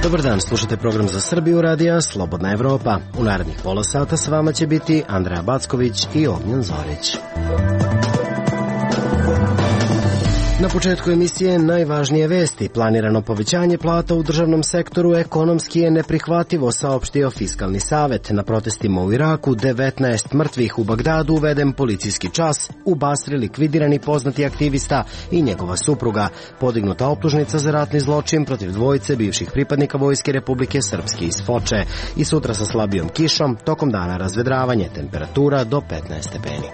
Dobar dan, slušate program za Srbiju radija Slobodna Evropa. U narednih pola sata s vama će biti Andreja Backović i Ognjen Zorić. Na početku emisije najvažnije vesti. Planirano povećanje plata u državnom sektoru ekonomski je neprihvatljivo, saopštio Fiskalni savet. Na protestima u Iraku 19 mrtvih, u Bagdadu uveden policijski čas, u Basri likvidirani poznati aktivista i njegova supruga. Podignuta optužnica za ratni zločin protiv dvojice bivših pripadnika Vojske Republike Srpske iz Foče. I sutra sa slabijom kišom, tokom dana razvedravanje, temperatura do 15 stepeni.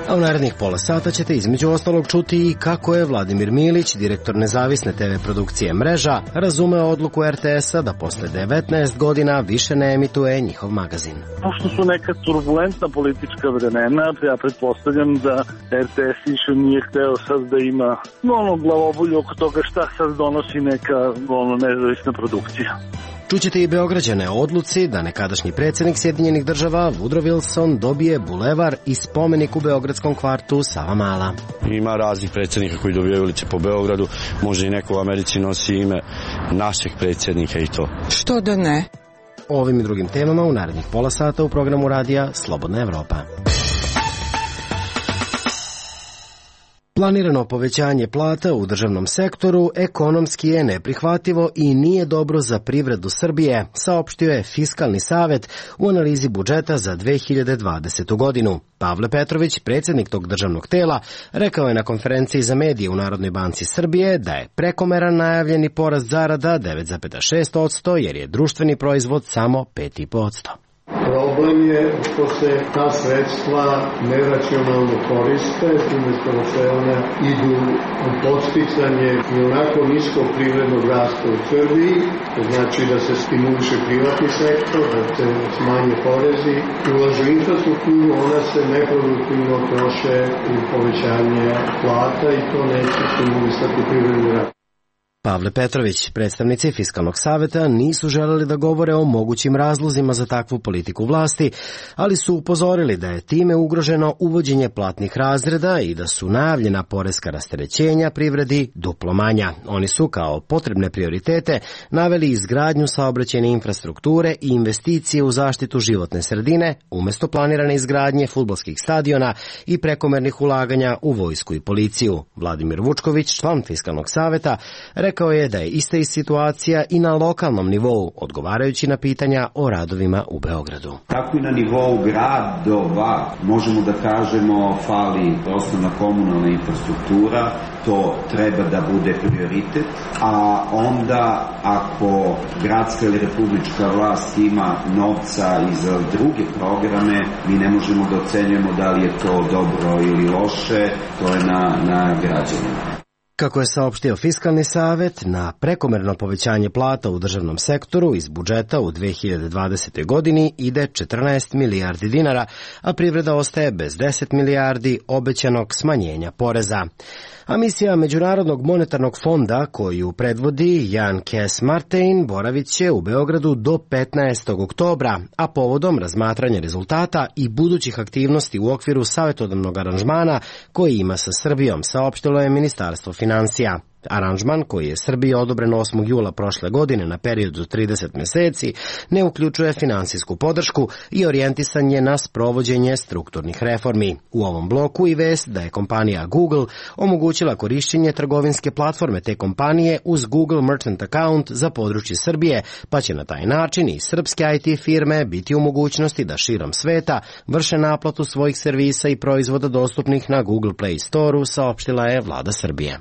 A u narednih pola sata ćete između ostalog čuti i kako je Vladimir Milić, direktor nezavisne TV produkcije Mreža, razumeo odluku RTS-a da posle 19 godina više ne emituje njihov magazin. Pošto su neka turbulentna politička vremena, ja pretpostavljam da RTS više nije hteo sad da ima glavobolju oko toga šta sad donosi neka nezavisna produkcija. Čućete i Beograđane o odluci da nekadašnji predsjednik Sjedinjenih država Woodrow Wilson dobije bulevar i spomenik u beogradskom kvartu Savamala. Ima raznih predsjednika koji dobijaju ulice po Beogradu, može i neko u Americi nosi ime našeg predsjednika i to. Što da ne? O ovim i drugim temama u narednih pola sata u programu radija Slobodna Evropa. Planirano povećanje plata u državnom sektoru ekonomski je neprihvatljivo i nije dobro za privredu Srbije, saopštio je Fiskalni savet u analizi budžeta za 2020. godinu. Pavle Petrović, predsjednik tog državnog tela, rekao je na konferenciji za medije u Narodnoj banci Srbije da je prekomeran najavljeni porast zarada 9,6% jer je društveni proizvod samo 5,5%. Problem je što se ta sredstva neracionalno koriste, umjesto da se one idu u podsticanje i onako niskog privrednog rasta u Srbiji, to znači da se stimuliše privatni sektor, da se smanje porezi, ulažu infrastrukturu, ona se neproduktivno troše u povećanje plata i to neće stimulisati privredni rast. Pavle Petrović, predstavnici Fiskalnog saveta, nisu želeli da govore o mogućim razlozima za takvu politiku vlasti, ali su upozorili da je time ugroženo uvođenje platnih razreda i da su najavljena poreska rasterećenja privredi duplo manja. Oni su kao potrebne prioritete naveli izgradnju saobraćajne infrastrukture i investicije u zaštitu životne sredine, umjesto planirane izgradnje fudbalskih stadiona i prekomernih ulaganja u vojsku i policiju. Vladimir Vučković, član Fiskalnog saveta, rekao je da je ista i situacija i na lokalnom nivou, odgovarajući na pitanja o radovima u Beogradu. Tako i na nivou gradova možemo da kažemo fali osnovna komunalna infrastruktura, to treba da bude prioritet, a onda ako gradska ili republička vlast ima novca i za druge programe, mi ne možemo da ocenjujemo da li je to dobro ili loše, to je na građanima. Kako je saopštio Fiskalni savet, na prekomerno povećanje plata u državnom sektoru iz budžeta u 2020. godini ide 14 milijardi dinara, a privreda ostaje bez 10 milijardi obećanog smanjenja poreza. A misija Međunarodnog monetarnog fonda, koju predvodi Jan Kees-Martin, boravit će u Beogradu do 15. oktobra, a povodom razmatranja rezultata i budućih aktivnosti u okviru savjetodavnog aranžmana koji ima sa Srbijom, saopštilo je Ministarstvo finansija. Aranžman, koji je Srbiji odobren 8. jula prošle godine na period od 30 meseci, ne uključuje finansijsku podršku i orijentisan je na sprovođenje strukturnih reformi. U ovom bloku i vest da je kompanija Google omogućila korišćenje trgovinske platforme te kompanije uz Google Merchant Account za područje Srbije, pa će na taj način i srpske IT firme biti u mogućnosti da širom sveta vrše naplatu svojih servisa i proizvoda dostupnih na Google Play Store-u, saopštila je vlada Srbije.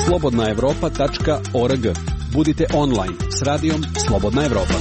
slobodnaevropa.org. Budite online s radijom Slobodna Evropa.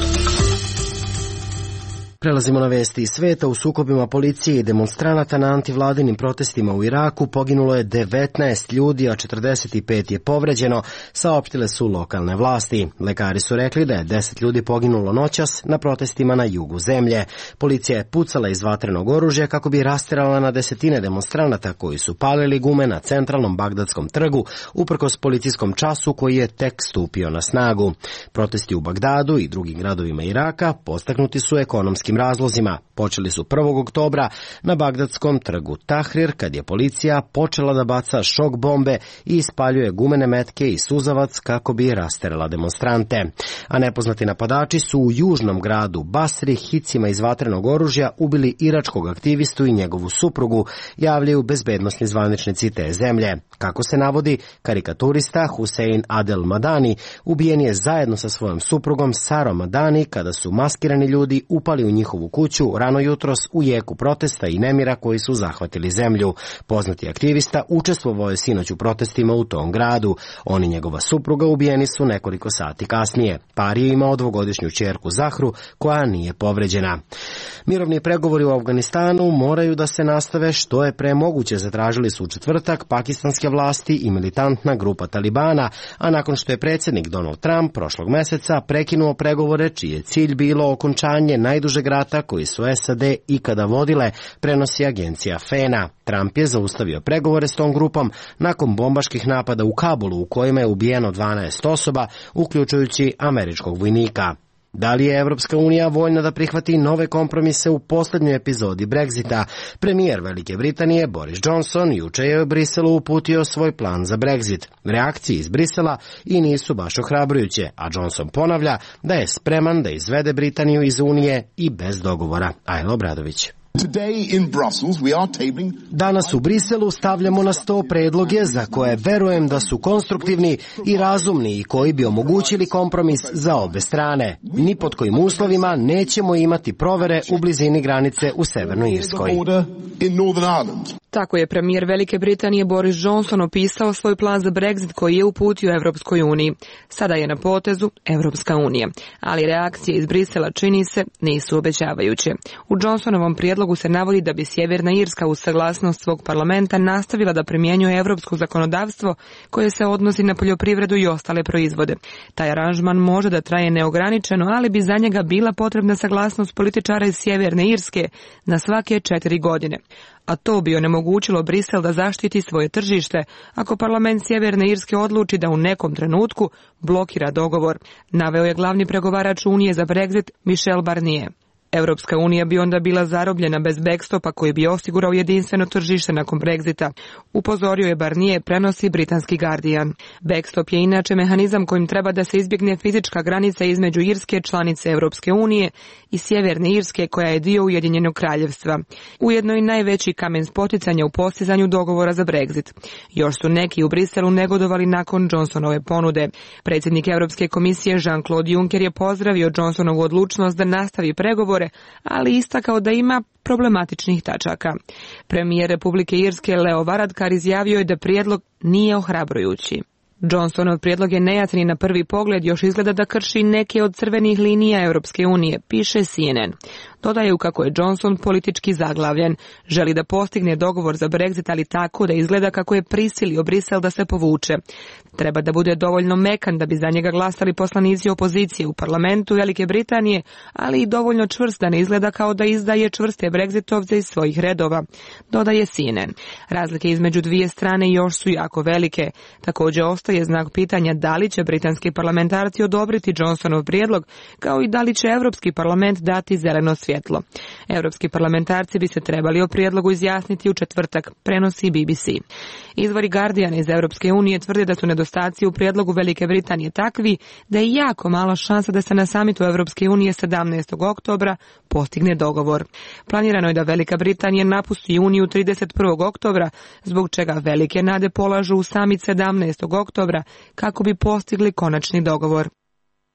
Prelazimo na vesti iz sveta. U sukobima policije i demonstranata na antivladinim protestima u Iraku poginulo je 19 ljudi, a 45 je povređeno, saopštile su lokalne vlasti. Lekari su rekli da je 10 ljudi poginulo noćas na protestima na jugu zemlje. Policija je pucala iz vatrenog oružja kako bi rasterala na desetine demonstranata koji su palili gume na centralnom Bagdadskom trgu, uprkos policijskom času koji je tek stupio na snagu. Protesti u Bagdadu i drugim gradovima Iraka podstaknuti su ekonomskim političkim razlozima. Počeli su 1. oktobra na bagdadskom trgu Tahrir, kad je policija počela da baca šok bombe i ispaljuje gumene metke i suzavac kako bi rasterala demonstrante. A nepoznati napadači su u južnom gradu Basri hicima iz vatrenog oružja ubili iračkog aktivistu i njegovu suprugu, javljaju bezbednosni zvaničnici te zemlje. Kako se navodi, karikaturista Hussein Adel Madani ubijen je zajedno sa svojom suprugom Sarom Madani kada su maskirani ljudi upali u njihovu kuću rano jutros u jeku protesta i nemira koji su zahvatili zemlju. Poznati aktivista učestvovao je sinoć u protestima u tom gradu. On i njegova supruga ubijeni su nekoliko sati kasnije. Par je imao 2-godišnju ćerku Zahru koja nije povređena. Mirovni pregovori u Afganistanu moraju da se nastave što je pre moguće, zatražili su u četvrtak pakistanske vlasti i militantna grupa Talibana, a nakon što je predsjednik Donald Trump prošlog meseca prekinuo pregovore čiji je cilj bilo okončanje najdužeg rata koji su SAD ikada vodile, prenosi agencija FENA. Trump je zaustavio pregovore s tom grupom nakon bombaških napada u Kabulu u kojima je ubijeno 12 osoba, uključujući američkog vojnika. Da li je Evropska unija voljna da prihvati nove kompromise u posljednjoj epizodi Brexita? Premijer Velike Britanije Boris Johnson juče je u Briselu uputio svoj plan za Brexit. Reakcije iz Brisela i nisu baš ohrabrujuće, a Johnson ponavlja da je spreman da izvede Britaniju iz Unije i bez dogovora. Ajlo Obradović. Danas u Briselu stavljamo na sto predloge za koje verujem da su konstruktivni i razumni i koji bi omogućili kompromis za obe strane. Ni pod kojim uslovima nećemo imati provere u blizini granice u Severnoj Irskoj. Tako je premijer Velike Britanije Boris Johnson opisao svoj plan za Brexit koji je uputio Evropskoj uniji. Sada je na potezu Evropska unija, ali reakcije iz Brisela, čini se, nisu obećavajuće. U Johnsonovom prijedlogu se navodi da bi Sjeverna Irska uz saglasnost svog parlamenta nastavila da primjenjuje evropsko zakonodavstvo koje se odnosi na poljoprivredu i ostale proizvode. Taj aranžman može da traje neograničeno, ali bi za njega bila potrebna saglasnost političara iz Sjeverne Irske na svake 4 godine. A to bi onemogućilo Brisel da zaštiti svoje tržište ako parlament Sjeverne Irske odluči da u nekom trenutku blokira dogovor, naveo je glavni pregovarač Unije za Brexit Michel Barnier. Evropska unija bi onda bila zarobljena bez backstopa koji bi osigurao jedinstveno tržište nakon Brexita, upozorio je Barnier, prenosi britanski Guardian. Backstop je inače mehanizam kojim treba da se izbjegne fizička granica između Irske, članice Evropske unije, i Sjeverne Irske koja je dio Ujedinjenog kraljevstva. Ujedno i najveći kamen spoticanja u postizanju dogovora za Brexit. Još su neki u Briselu negodovali nakon Johnsonove ponude. Predsjednik Europske komisije Jean-Claude Juncker je pozdravio Johnsonovu odlučnost da nastavi pregovore, ali istakao da ima problematičnih tačaka. Premijer Republike Irske Leo Varadkar izjavio je da prijedlog nije ohrabrujući. Johnsonov prijedlog je nejasni na prvi pogled, još izgleda da krši neke od crvenih linija Europske unije, piše CNN. Dodaju kako je Johnson politički zaglavljen. Želi da postigne dogovor za Brexit, ali tako da izgleda kako je prisilio Brisel da se povuče. Treba da bude dovoljno mekan da bi za njega glasali poslanici opozicije u parlamentu Velike Britanije, ali i dovoljno čvrst da ne izgleda kao da izdaje čvrste Brexitovce iz svojih redova, dodaje CNN. Razlike između dvije strane još su jako velike. Također ostaje znak pitanja da li će britanski parlamentarci odobriti Johnsonov prijedlog, kao i da li će Europski parlament dati zeleno svjetlo. Europski parlamentarci bi se trebali o prijedlogu izjasniti u četvrtak, prenosi BBC. Izvori Guardiana iz Europske unije tvrde da su nedostaci u prijedlogu Velike Britanije takvi da je jako mala šansa da se na samitu Europske unije 17. oktobra postigne dogovor. Planirano je da Velika Britanija napusti Uniju 31. oktobra, zbog čega velike nade polažu u samit 17. oktobra kako bi postigli konačni dogovor.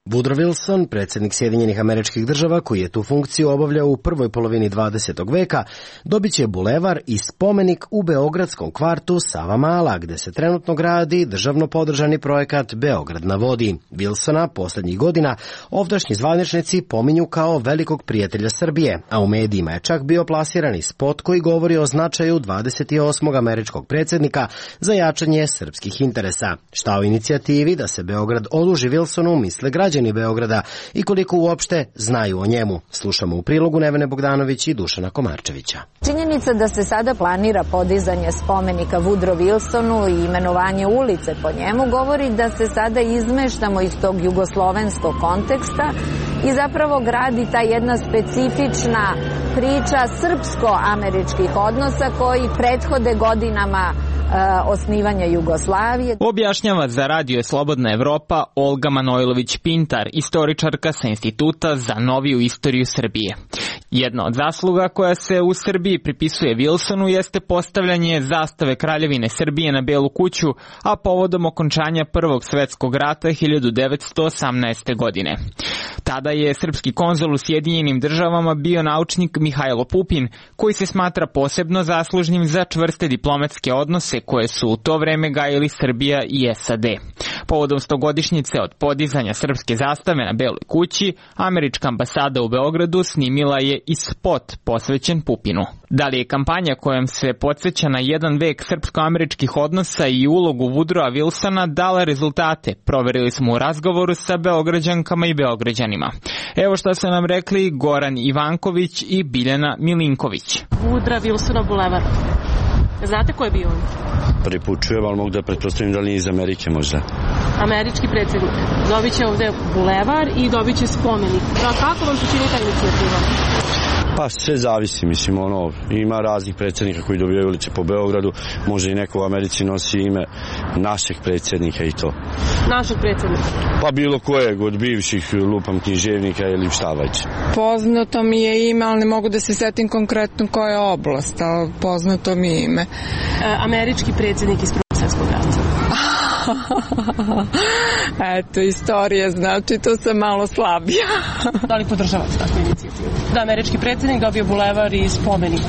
Woodrow Wilson, predsjednik Sjedinjenih Američkih Država, koji je tu funkciju obavljao u prvoj polovini 20. veka, dobit će bulevar i spomenik u beogradskom kvartu Savamala, gde se trenutno gradi državno podržani projekat Beograd na vodi. Wilsona posljednjih godina ovdašnji zvaničnici pominju kao velikog prijatelja Srbije, a u medijima je čak bio plasiran i spot koji govori o značaju 28. američkog predsjednika za jačanje srpskih interesa. Šta o inicijativi da se Beograd oduži Wilsonu misle građani Beograda i koliko uopšte znaju o njemu. Slušamo u prilogu Nevene Bogdanović i Dušana Komarčevića. Činjenica da se sada planira podizanje spomenika Woodrow Wilsonu i imenovanje ulice po njemu govori da se sada izmeštamo iz tog jugoslovenskog konteksta i zapravo gradi ta jedna specifična priča srpsko-američkih odnosa koji prethode godinama osnivanja Jugoslavije. Objašnjava za Radio Slobodna Evropa Olga Manojlović-Pintar, istoričarka sa Instituta za noviju istoriju Srbije. Jedna od zasluga koja se u Srbiji pripisuje Wilsonu jeste postavljanje zastave Kraljevine Srbije na Belu kuću, a povodom okončanja Prvog svetskog rata 1918. godine. Tada je srpski konzul u Sjedinjenim državama bio naučnik Mihajlo Pupin, koji se smatra posebno zaslužnim za čvrste diplomatske odnose koje su u to vreme gajili Srbija i SAD. Povodom 100-godišnjice od podizanja srpske zastave na Beloj kući, američka ambasada u Beogradu snimila je i spot posvećen Pupinu. Da li je kampanja kojom se podsjeća na jedan vek srpsko-američkih odnosa i ulogu Woodrowa Wilsona dala rezultate, proverili smo u razgovoru sa Beograđankama i Beograđanima. Evo šta su nam rekli Goran Ivanković i Biljana Milinković. Woodrow Wilsona bulevar. Znate ko je bio on? Prvi put čujem, ali mogu da pretpostavim da li nije iz Amerike možda. Američki predsjednik. Dobit će ovde bulevar i dobit će spomenik. Kako vam se čini ta inicijativa? Pa sve zavisi, mislim, ima raznih predsjednika koji dobijaju ulice po Beogradu, možda i neko u Americi nosi ime našeg predsjednika i to. Našeg predsjednika? Pa bilo kojeg od bivših, lupam, književnika ili šta već. Poznato mi je ime, ali ne mogu da se setim konkretno koja je oblast, ali poznato mi je ime. Američki predsjednik iz Prvog svjetskog rata. Eto, istorija, znači to sam malo slabija. Da li podržavate takvu inicijativu? Da američki predsjednik dobio bulevar i spomenik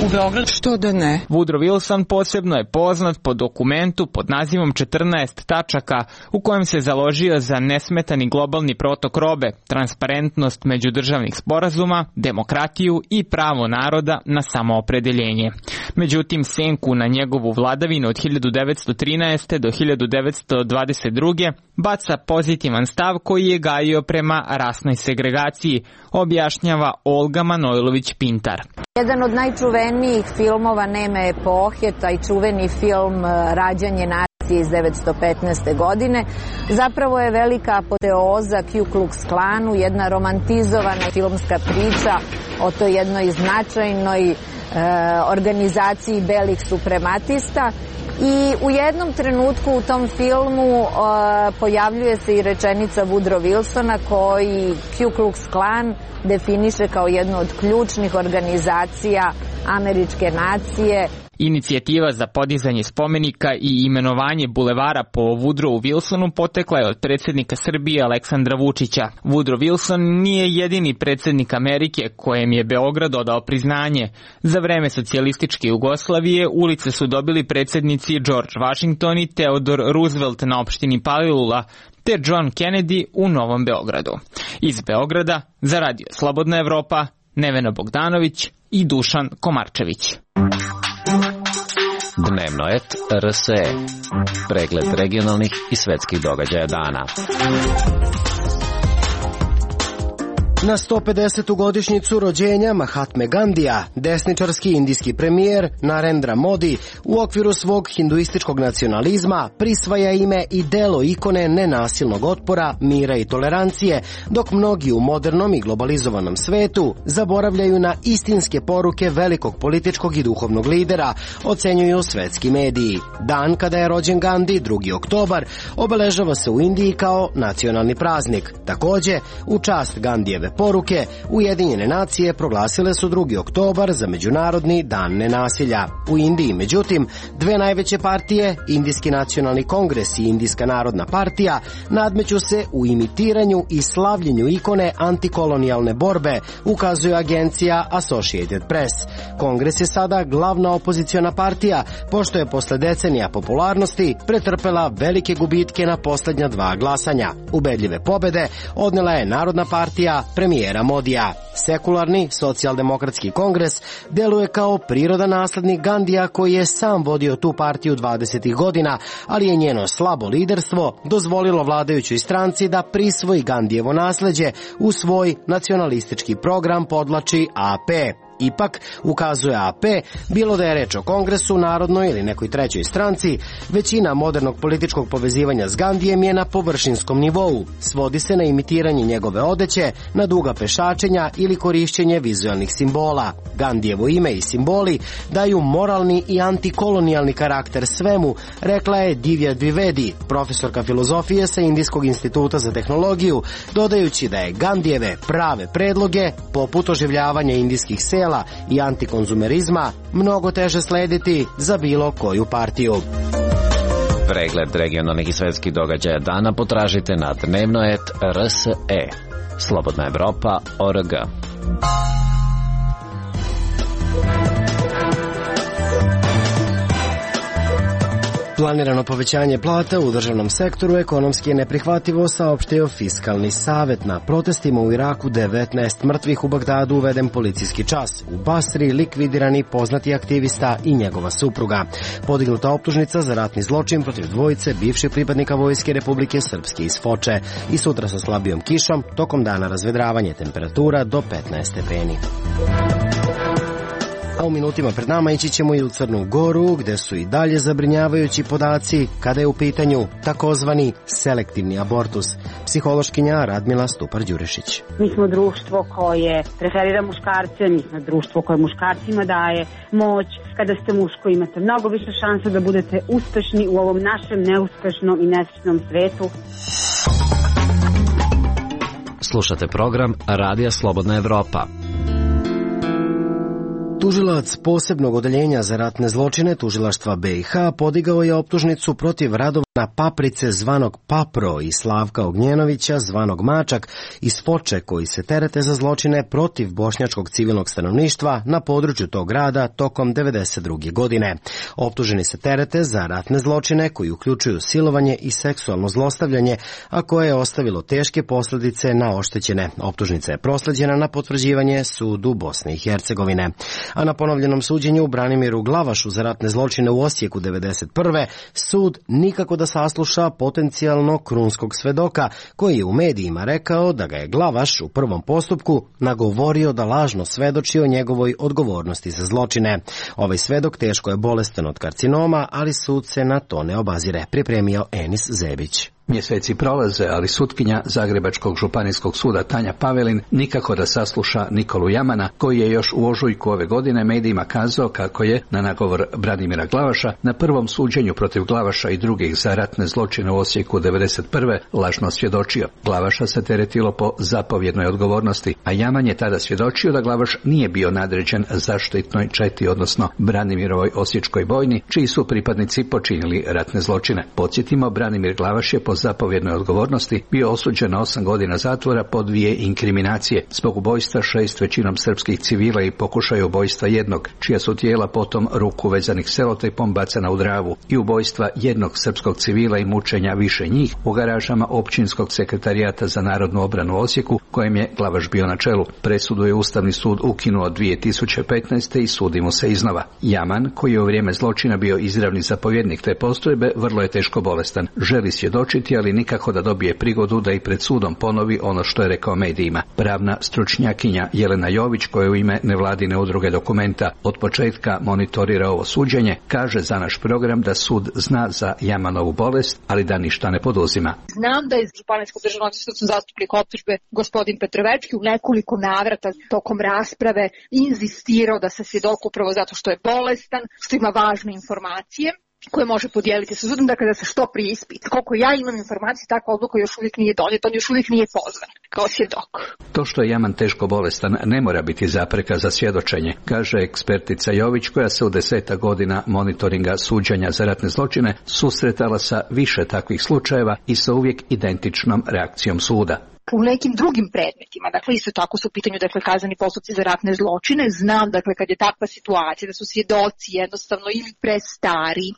u Beogradu? Što da ne? Woodrow Wilson posebno je poznat po dokumentu pod nazivom 14 tačaka u kojem se založio za nesmetani globalni protok robe, transparentnost međudržavnih sporazuma, demokratiju i pravo naroda na samoopredeljenje. Međutim, senku na njegovu vladavinu od 1913. do 1922. baca pozitivan stav koji je gajio prema rasnoj segregaciji, objašnjava Olga Manojlović-Pintar. Jedan od najčuvenijih filmova neme epohe, taj čuveni film Rađanje nacije iz 1915. godine, zapravo je velika apoteoza Ku Klux Klanu, jedna romantizovana filmska priča o toj jednoj značajnoj organizaciji belih suprematista. I u jednom trenutku u tom filmu pojavljuje se i rečenica Woodrow Wilsona koji Ku Klux Klan definiše kao jednu od ključnih organizacija američke nacije. Inicijativa za podizanje spomenika i imenovanje bulevara po Woodrowu Wilsonu potekla je od predsjednika Srbije Aleksandra Vučića. Woodrow Wilson nije jedini predsjednik Amerike kojem je Beograd odao priznanje. Za vreme socijalističke Jugoslavije ulice su dobili predsjednici George Washington i Theodore Roosevelt na opštini Palilula, te John Kennedy u Novom Beogradu. Iz Beograda za Radio Slobodna Evropa, Nevena Bogdanović i Dušan Komarčević. Dnevno et RSE. Pregled regionalnih i svetskih događaja dana. Na 150. godišnjicu rođenja Mahatme Gandija, desničarski indijski premijer Narendra Modi u okviru svog hinduističkog nacionalizma prisvaja ime i delo ikone nenasilnog otpora, mira i tolerancije, dok mnogi u modernom i globalizovanom svetu zaboravljaju na istinske poruke velikog političkog i duhovnog lidera, ocenjuju svetski mediji. Dan kada je rođen Gandhi, 2. oktobar, obeležava se u Indiji kao nacionalni praznik. Takođe, u čast Gandijeve poruke, Ujedinjene nacije proglasile su 2. oktobar za Međunarodni dan nenasilja. U Indiji, međutim, dve najveće partije, Indijski nacionalni kongres i Indijska narodna partija, nadmeću se u imitiranju i slavljenju ikone antikolonijalne borbe, ukazuje agencija Associated Press. Kongres je sada glavna opoziciona partija, pošto je posle decenija popularnosti pretrpela velike gubitke na poslednja 2 glasanja. Ubedljive pobede odnela je Narodna partija premijera Modija. Sekularni socijaldemokratski kongres deluje kao prirodan naslednik Gandija koji je sam vodio tu partiju 20. godina, ali je njeno slabo liderstvo dozvolilo vladajućoj stranci da prisvoji Gandijevo nasleđe u svoj nacionalistički program, podvlači AP. Ipak, ukazuje AP, bilo da je reč o Kongresu, Narodnoj ili nekoj trećoj stranci, većina modernog političkog povezivanja s Gandijem je na površinskom nivou. Svodi se na imitiranje njegove odeće, na duga pešačenja ili korišćenje vizualnih simbola. Gandijevo ime i simboli daju moralni i antikolonijalni karakter svemu, rekla je Divya Dwivedi, profesorka filozofije sa Indijskog instituta za tehnologiju, dodajući da je Gandijeve prave predloge, poput oživljavanja indijskih sela i antikonzumerizma, mnogo teže slediti za bilo koju partiju. Pregled regionalnih i svetskih događaja dana potražite na dnevnoet.rse. Slobodna Evropa.org. Planirano povećanje plata u državnom sektoru ekonomski je neprihvatljivo, saopštio Fiskalni savet. Na protestima u Iraku 19 mrtvih, u Bagdadu uveden policijski čas. U Basri likvidirani poznati aktivista i njegova supruga. Podignuta optužnica za ratni zločin protiv dvojice bivših pripadnika Vojske Republike Srpske iz Foče. I sutra sa slabijom kišom, tokom dana razvedravanje, temperatura do 15 stepeni. A u minutima pred nama ići ćemo i u Crnu Goru, gde su i dalje zabrinjavajući podaci kada je u pitanju takozvani selektivni abortus. Psihološkinja Radmila Stupar-Đurešić. Mi smo društvo koje preferira muškarce, mi smo društvo koje muškarcima daje moć. Kada ste muško imate mnogo više šansa da budete uspešni u ovom našem neuspešnom i nesrećnom svetu. Slušate program Radija Slobodna Evropa. Tužilac posebnog odeljenja za ratne zločine Tužilaštva BiH podigao je optužnicu protiv Radovana Paprice zvanog Papro i Slavka Ognjenovića zvanog Mačak iz Foče, koji se terete za zločine protiv bošnjačkog civilnog stanovništva na području tog grada tokom 1992. godine. Optuženi se terete za ratne zločine koji uključuju silovanje i seksualno zlostavljanje, a koje je ostavilo teške posljedice na oštećene. Optužnica je prosleđena na potvrđivanje sudu Bosne i Hercegovine. A na ponovljenom suđenju Branimiru Glavašu za ratne zločine u Osijeku 1991. sud nikako da sasluša potencijalno krunskog svedoka, koji je u medijima rekao da ga je Glavaš u prvom postupku nagovorio da lažno svedoči o njegovoj odgovornosti za zločine. Ovaj svedok teško je bolestan od karcinoma, ali sud se na to ne obazire, pripremio Enis Zebić. Mjeseci prolaze, ali sutkinja Zagrebačkog županijskog suda Tanja Pavelin nikako da sasluša Nikolu Jamana, koji je još u ožujku ove godine medijima kazao kako je, na nagovor Branimira Glavaša, na prvom suđenju protiv Glavaša i drugih za ratne zločine u Osijeku 1991. lažno svjedočio. Glavaša se teretilo po zapovjednoj odgovornosti, a Jaman je tada svjedočio da Glavaš nije bio nadređen zaštitnoj četi, odnosno Branimirovoj osječkoj bojni, čiji su pripadnici počinili ratne zločine. Podsjetimo, Branimir Glavaš je po zapovjednoj odgovornosti bio osuđen na 8 godina zatvora po 2 inkriminacije zbog ubojstva 6 većinom srpskih civila i pokušaja ubojstva jednog, čija su tijela potom ruku vezanih selotejpom bacana u Dravu, i ubojstva jednog srpskog civila i mučenja više njih u garažama Općinskog sekretarijata za narodnu obranu u Osijeku, kojem je Glavaš bio na čelu. Presudu je Ustavni sud ukinuo 2015. i sudi mu se iznova. Jaman, koji je u vrijeme zločina bio izravni zapovjednik te postrojbe, vrlo je teško bolestan. Želi svjedočiti, ali nikako da dobije prigodu da i pred sudom ponovi ono što je rekao medijima. Pravna stručnjakinja Jelena Jović, koja u ime nevladine udruge Dokumenta od početka monitorira ovo suđenje, kaže za naš program da sud zna za Jamanovu bolest, ali da ništa ne poduzima. Znam da je Županijskog državnog odvjetništva zastupnik optužbe gospodin Petrovićki u nekoliko navrata tokom rasprave inzistirao da se svjedok, upravo zato što je bolestan, što ima važne informacije koje može podijeliti sa sudom, dakle da se što prije ispita. Koliko ja imam informacije, takva odluka još uvijek nije donijeta, on još uvijek nije pozvan kao svjedok. To što je Jaman teško bolestan ne mora biti zapreka za svjedočenje, kaže ekspertica Jović, koja se u 10 godina monitoringa suđenja za ratne zločine susretala sa više takvih slučajeva i sa uvijek identičnom reakcijom suda. U nekim drugim predmetima, dakle isto tako su u pitanju kazneni postupci za ratne zločine, znam kad je takva situacija da su svjedoci jednostavno ili prestari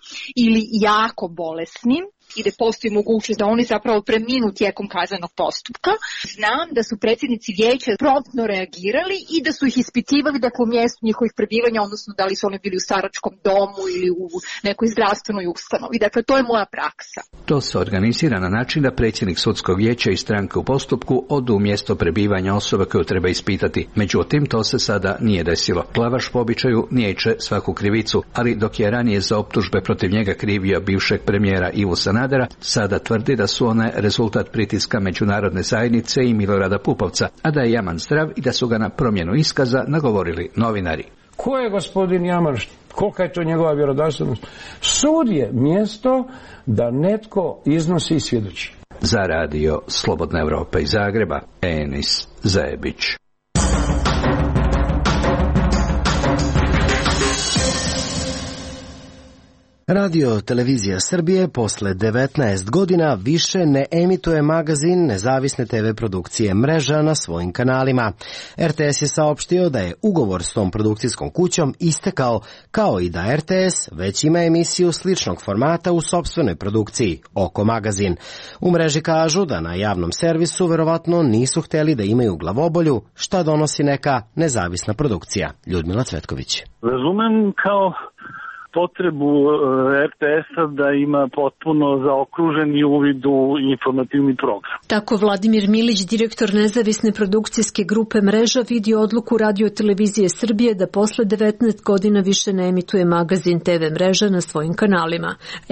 ili jako bolesni, i da postoji mogućnost da oni zapravo preminu tijekom kaznenog postupka. Znam da su predsjednici vijeća promptno reagirali i da su ih ispitivali dakle u mjestu njihovih prebivanja, odnosno da li su oni bili u staračkom domu ili u nekoj zdravstvenoj ustanovi. Dakle, to je moja praksa. To se organizira na način da predsjednik sudskog vijeća i stranke u postupku odu u mjesto prebivanja osobe koju treba ispitati. Međutim, to se sada nije desilo. Glavaš po običaju niječe svaku krivicu, ali dok je ranije za optužbe protiv njega krivio bivšeg premijera Ivu Sanadera, sada tvrdi da su one rezultat pritiska međunarodne zajednice i Milorada Pupovca, a da je Jaman zdrav i da su ga na promjenu iskaza nagovorili novinari. Ko je gospodin Jaman? Kolika je to njegova vjerodostojnost? Sud je mjesto da netko iznosi i svjedoči. Za radio Slobodna Evropa iz Zagreba, Enis Zajebić. Radio Televizija Srbije posle 19 godina više ne emituje magazin nezavisne TV produkcije Mreža na svojim kanalima. RTS je saopštio da je ugovor s tom produkcijskom kućom istekao, kao i da RTS već ima emisiju sličnog formata u sopstvenoj produkciji, Oko magazin. U Mreži kažu da na javnom servisu verovatno nisu hteli da imaju glavobolju, šta donosi neka nezavisna produkcija. Ljudmila Cvetković. Razumem kao potrebu RTS-a da ima potpuno zaokruženi uvid u informativni program. Tako Vladimir Milić, direktor nezavisne produkcijske grupe Mreža, vidi odluku Radio Televizije Srbije da posle 19 godina više ne emituje magazin TV Mreža na svojim kanalima.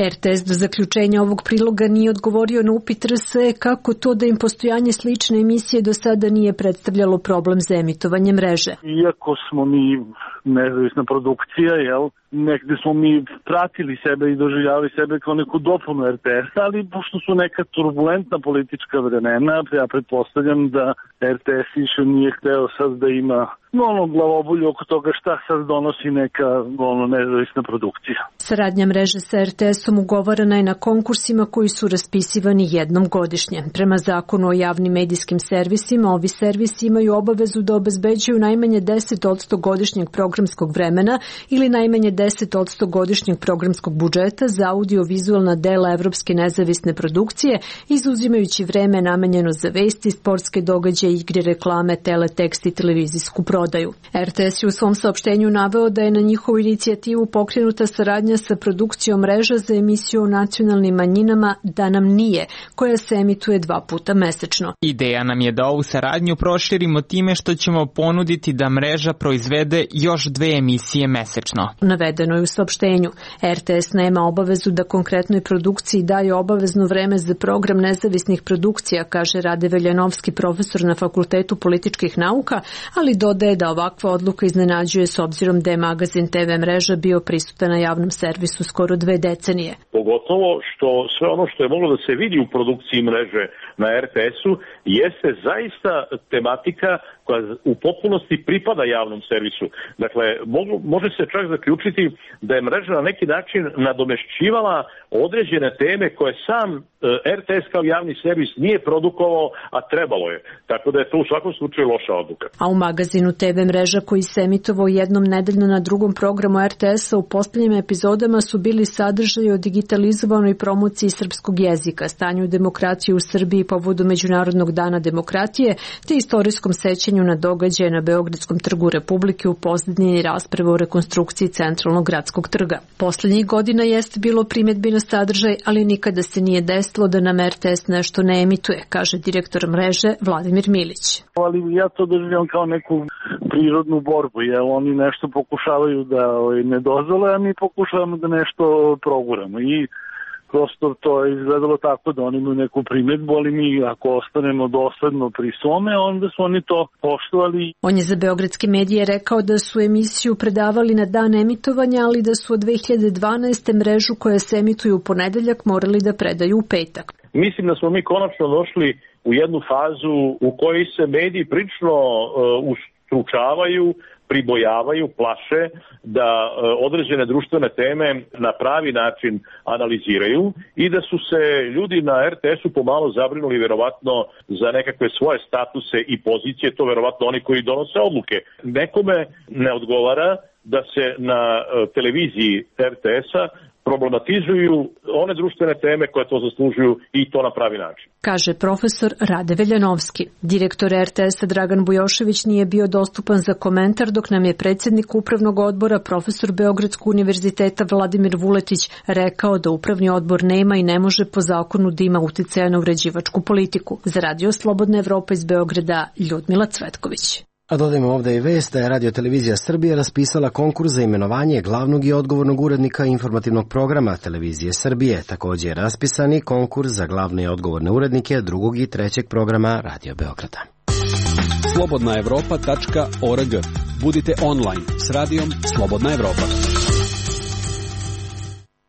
RTS do zaključenja ovog priloga nije odgovorio na upit RSE kako to da im postojanje slične emisije do sada nije predstavljalo problem za emitovanje Mreže. Iako smo mi nezavisna produkcija, negde smo mi pratili sebe i doživljavali sebe kao neku dopunu RTS-a, ali pošto su neka turbulentna politička vremena, ja pretpostavljam da RTS više nije hteo sad da ima glavobolju oko toga šta sad donosi neka nezavisna produkcija. Saradnja Mreže sa RTS-om ugovorena je na konkursima koji su raspisivani jednom godišnje. Prema zakonu o javnim medijskim servisima, ovi servisi imaju obavezu da obezbeđuju najmanje 10% godišnjeg programskog vremena ili najmanje 10% godišnjeg programskog budžeta za audio-vizualna dela evropske nezavisne produkcije, izuzimajući vreme namenjeno za vesti, sportske događaje, igre, reklame, teletekst i televizijsku prodaju. RTS je u svom saopštenju naveo da je na njihovu inicijativu pokrenuta saradnja sa produkcijom Mreža za emisiju o nacionalnim manjinama Da nam nije, koja se emituje 2 puta mesečno. Ideja nam je da ovu saradnju proširimo time što ćemo ponuditi da Mreža proizvede još 2 emisije mesečno. Navedeno je u saopštenju. RTS nema obavezu da konkretnoj produkciji daje obavezno vreme za program nezavisnih produkcija, kaže Rade Veljanovski, profesor na Fakultetu političkih nauka, ali dodaje da ovakva odluka iznenađuje s obzirom da je magazin TV Mreža bio prisutan na javnom servisu skoro 2 decenije. Pogotovo što sve ono što je moglo da se vidi u produkciji Mreže na RTS-u jeste zaista tematika koja u potpunosti pripada javnom servisu. Dakle, može se čak zaključiti da je Mreža na neki način nadomešćivala određene teme koje sam RTS kao javni servis nije produkovao, a trebalo je. Tako da je to u svakom slučaju loša odluka. A u magazinu TV Mreža, koji se emitovao jednom nedeljno na drugom programu RTS-a, u posljednjim epizodama su bili sadržaji o digitalizovanoj promociji srpskog jezika, stanju demokracije u Srbiji povodu Međunarodnog dana demokratije, te istorijskom sećanju na događaje na Beogradskom trgu Republike u posljednji rasprave o rekonstrukciji centralnog gradskog trga. Posljednjih godina jeste bilo primjedbi na sadržaj, ali nikada se nije desilo da nam RTS nešto ne emituje, kaže direktor Mreže Vladimir Milić. Ali ja to doživljam kao neku prirodnu borbu, jer oni nešto pokušavaju da ne dozvole, a mi pokušavamo da nešto proguramo i prosto to je izgledalo tako da oni imaju neku primjedbu, ali mi ako ostanemo dosledno pri svome, onda su oni to poštovali. On je za beogradske medije rekao da su emisiju predavali na dan emitovanja, ali da su od 2012. Mrežu koja se emituje u ponedeljak morali da predaju u petak. Mislim da smo mi konačno došli u jednu fazu u kojoj se mediji prilično ustručavaju, pribojavaju, plaše da određene društvene teme na pravi način analiziraju i da su se ljudi na RTS-u pomalo zabrinuli verovatno za nekakve svoje statuse i pozicije, to verovatno oni koji donose odluke. Nekome ne odgovara da se na televiziji RTS-a problematizuju one društvene teme koje to zaslužuju i to na pravi način. Kaže profesor Rade Veljanovski. Direktor RTS-a Dragan Bujošević nije bio dostupan za komentar dok nam je predsjednik upravnog odbora profesor Beogradskog univerziteta Vladimir Vuletić rekao da upravni odbor nema i ne može po zakonu da ima uticaja na uređivačku politiku. Za Radio Slobodna Evropa iz Beograda, Ljudmila Cvetković. A dodajmo ovdje i vest da je Radio-televizija Srbije raspisala konkurs za imenovanje glavnog i odgovornog urednika informativnog programa Televizije Srbije. Također je raspisan i konkurs za glavne i odgovorne urednike drugog i trećeg programa Radio Beograda. slobodnaevropa.org. Budite online s radijom Slobodna Evropa.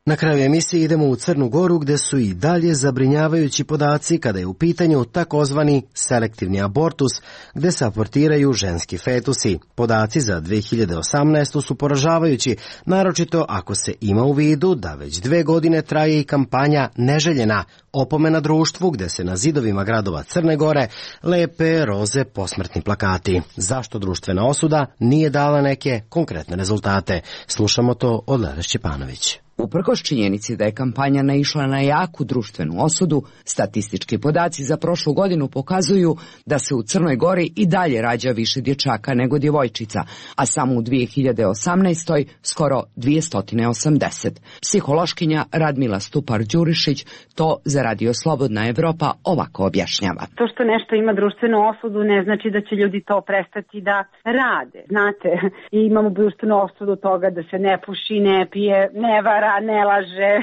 Na kraju emisije idemo u Crnu Goru gdje su i dalje zabrinjavajući podaci kada je u pitanju takozvani selektivni abortus gdje se abortiraju ženski fetusi. Podaci za 2018. su poražavajući, naročito ako se ima u vidu da već 2 godine traje i kampanja Neželjena, opomena društvu gdje se na zidovima gradova Crne Gore lepe roze posmrtni plakati. Zašto društvena osuda nije dala neke konkretne rezultate? Slušamo to od Lele Šćepanović. Uprkos činjenici da je kampanja naišla na jaku društvenu osudu, statistički podaci za prošlu godinu pokazuju da se u Crnoj Gori i dalje rađa više dječaka nego djevojčica, a samo u 2018. skoro 280. Psihološkinja Radmila Stupar-Đurišić to za Radio Slobodna Evropa ovako objašnjava. To što nešto ima društvenu osudu ne znači da će ljudi to prestati da rade. Znate, imamo društvenu osudu toga da se ne puši, ne pije, ne vara, ne laže,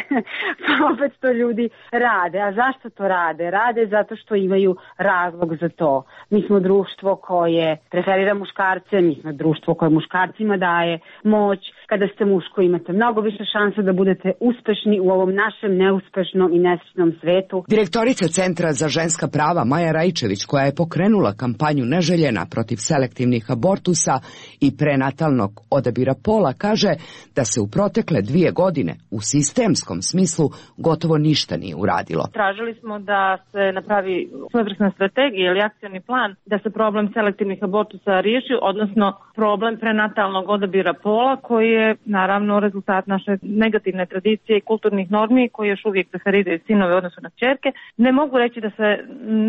pa opet to ljudi rade. A zašto to rade? Rade zato što imaju razlog za to. Mi smo društvo koje preferira muškarce, mi smo društvo koje muškarcima daje moć. Kada ste muško imate mnogo više šanse da budete uspešni u ovom našem neuspešnom i nesrećnom svetu. Direktorica Centra za ženska prava Maja Rajčević, koja je pokrenula kampanju Neželjena protiv selektivnih abortusa i prenatalnog odabira pola, kaže da se u protekle 2 godine u sistemskom smislu gotovo ništa nije uradilo. Tražili smo da se napravi svojevrsna strategija ili akcioni plan da se problem selektivnih abortusa riješi, odnosno problem prenatalnog odabira pola koji je naravno rezultat naše negativne tradicije i kulturnih normi koji još uvijek preferiraju sinove u odnosu na kćerke. Ne mogu reći da se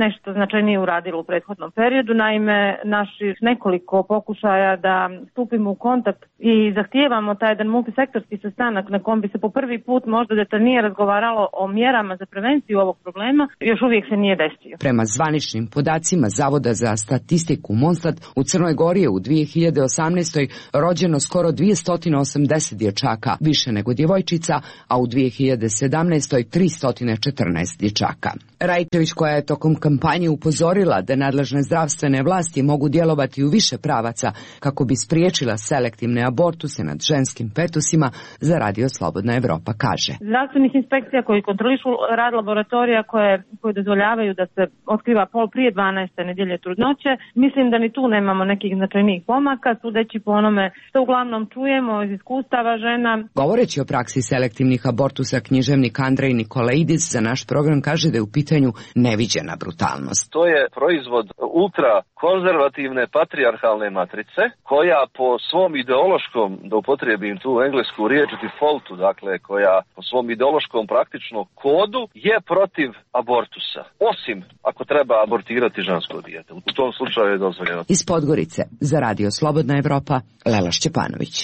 nešto značajnije uradilo u prethodnom periodu, naime naših nekoliko pokušaja da stupimo u kontakt i zahtijevamo taj jedan multisektorski sastanak na kom bi se po prvi put možda detaljnije razgovaralo o mjerama za prevenciju ovog problema, još uvijek se nije desio. Prema zvaničnim podacima Zavoda za statistiku Monstat, u Crnoj Gori je u 2018. rođeno skoro 280 dječaka, više nego djevojčica, a u 2017. 314 dječaka. Rajčević, koja je tokom kampanje upozorila da nadležne zdravstvene vlasti mogu djelovati u više pravaca kako bi spriječila selektivne abortuse nad ženskim fetusima, za Radio Slobodna Evropa kaže. Zdravstvenih inspekcija koji kontrolišu rad laboratorija koje dozvoljavaju da se otkriva pol prije 12. nedjelje trudnoće, mislim da ni tu nemamo nekih značajnijih pomaka, sudeći po onome što uglavnom čujemo iz iskustava žena. Govoreći o praksi selektivnih abortusa, književnik Andrej Nikolaidis za naš program kaže da je u pitanju neviđena brutalnost. To je proizvod ultra konzervativne patrijarhalne matrice koja po svom ideološkom, da upotrijebim tu englesku riječ defaultu, dakle koja po svom ideološkom praktičnom kodu je protiv abortusa. Osim ako treba abortirati žensko dijete. U tom slučaju je dozvoljeno. Iz Podgorice za Radio Slobodna Evropa, Lela Šćepanović.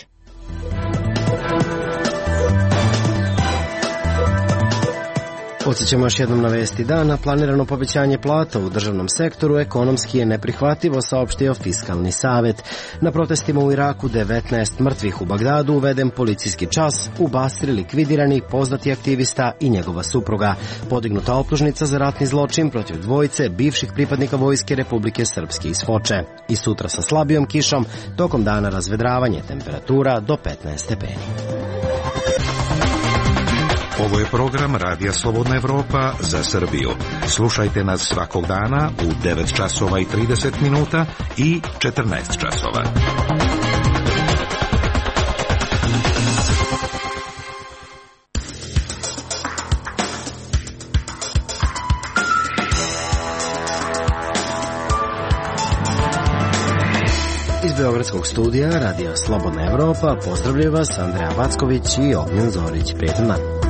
Podsjećamo još jednom na vesti dana. Planirano povećanje plata u državnom sektoru ekonomski je neprihvatljivo, saopštio Fiskalni savet. Na protestima u Iraku 19 mrtvih, u Bagdadu uveden policijski čas, u Basri likvidirani poznati aktivista i njegova supruga. Podignuta optužnica za ratni zločin protiv dvojice bivših pripadnika Vojske Republike Srpske iz Foče. I sutra sa slabijom kišom, tokom dana razvedravanje, temperatura do 15 stepeni. Ovo je program Radija Slobodna Evropa za Srbiju. Slušajte nas svakog dana u 9 časova i 30 minuta i 14 časova. Iz Beogradskog studija Radija Slobodna Evropa pozdravljaju vas Andreja Backović i Ognjen Zorić. Prijetan dan.